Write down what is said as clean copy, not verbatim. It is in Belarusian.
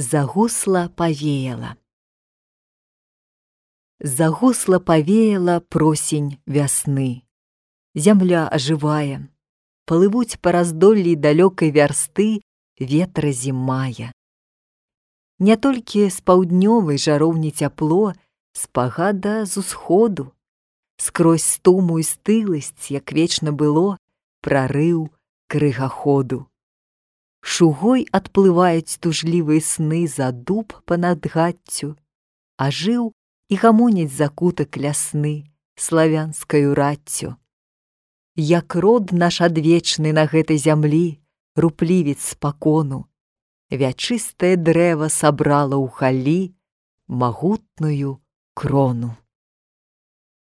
Загусла павеяла. Загусла павеяла просень вясны. Зямля ажывае, плывуць па раздоллі далёкай вярсты ветра зімая. Не толькі з паўднёвай жароўні цяпло, спагада з усходу. Скрозь стуму і стыласць, як вечна было, прарыў крыгаходу. Шугой адплываюць тужлівыя сны за дуб па-над гаццю, ажыў і гамоняць закутак лясны славянскаю раццю. Як род наш адвечны на гэтай зямлі, руплівец спакону, вячыстае дрэва сабрала ў халі магутную крону.